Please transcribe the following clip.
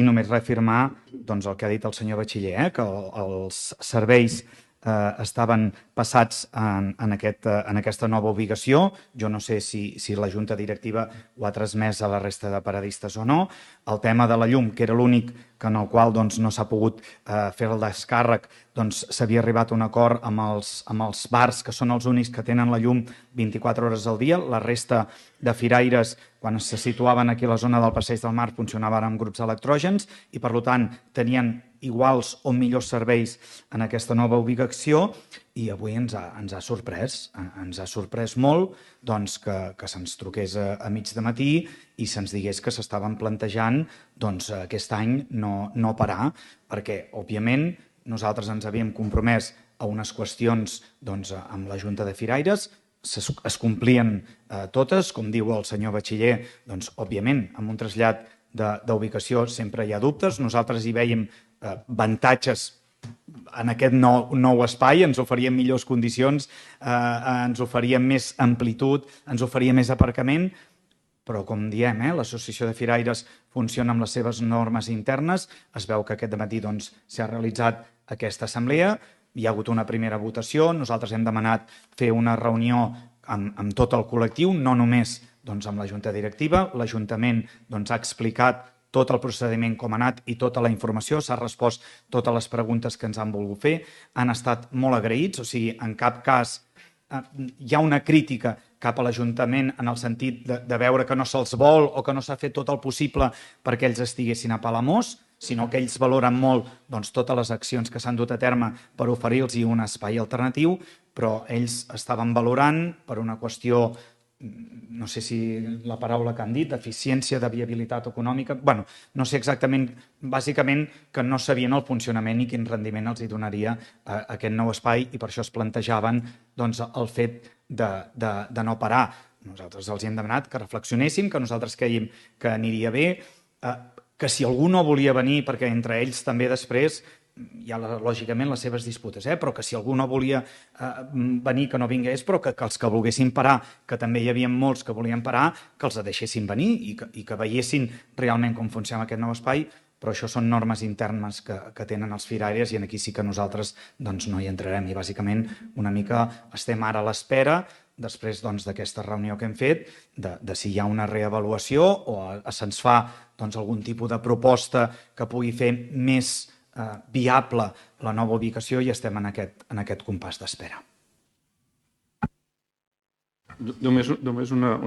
I només reafirmar el que ha dit el senyor Batxiller, que els serveis estaven passats en aquesta nova ubicació. Jo no sé si la Junta Directiva ho ha transmès a la resta de paradistes o no. El tema de la llum, que era l'únic en el qual no s'ha pogut fer el descàrrec, s'havia arribat a un acord amb els bars, que són els únics que tenen la llum 24 hores al dia. La resta de firaires, quan se situaven aquí a la zona del Passeig del Mar, funcionaven amb grups electrògens i, per tant, tenien iguals o millors serveis en aquesta nova ubicació. I avui ens ha sorprès molt que se'ns truqués a mig de matí i se'ns digués que s'estaven plantejant aquest any no parar, perquè, òbviament, nosaltres ens havíem compromès a unes qüestions amb la Junta de Firaires, es complien totes, com diu el senyor Batxiller, òbviament, amb un trasllat d'ubicació sempre hi ha dubtes. Nosaltres hi veiem avantatges en aquest nou espai, ens oferien millors condicions, ens oferien més amplitud, ens oferia més aparcament, però, com diem, l'Associació de Firaires funciona amb les seves normes internes. Es veu que aquest dematí s'ha realitzat aquesta assemblea, hi ha hagut una primera votació, nosaltres hem demanat fer una reunió amb tot el col·lectiu, no només amb la Junta Directiva. L'Ajuntament ha explicat tot el procediment com ha anat i tota la informació, s'ha respost totes les preguntes que ens han volgut fer, han estat molt agraïts, o sigui, en cap cas hi ha una crítica cap a l'Ajuntament en el sentit de veure que no se'ls vol o que no s'ha fet tot el possible perquè ells estiguessin a Palamós, sinó que ells valoren molt totes les accions que s'han dut a terme per oferir-los un espai alternatiu, però ells estaven valorant per una qüestió, no sé si la paraula que han dit, d'eficiència, de viabilitat econòmica, no sé exactament, bàsicament que no sabien el funcionament i quin rendiment els donaria aquest nou espai, i per això es plantejaven el fet de no parar. Nosaltres els hem demanat que reflexionessin, que nosaltres creiem que aniria bé, que si algú no volia venir, perquè entre ells també després hi ha lògicament les seves disputes, però que si algú no volia venir, que no vingués, però que els que volguessin parar, que també hi havia molts que volien parar, que els deixessin venir i que veiessin realment com funciona aquest nou espai. Però això són normes internes que tenen els firaires i aquí sí que nosaltres no hi entrarem. I bàsicament una mica estem ara a l'espera, després d'aquesta reunió que hem fet, de si hi ha una reavaluació o se'ns fa algun tipus de proposta que pugui fer més viable la nova ubicació, i estem en aquest compàs d'espera. Només una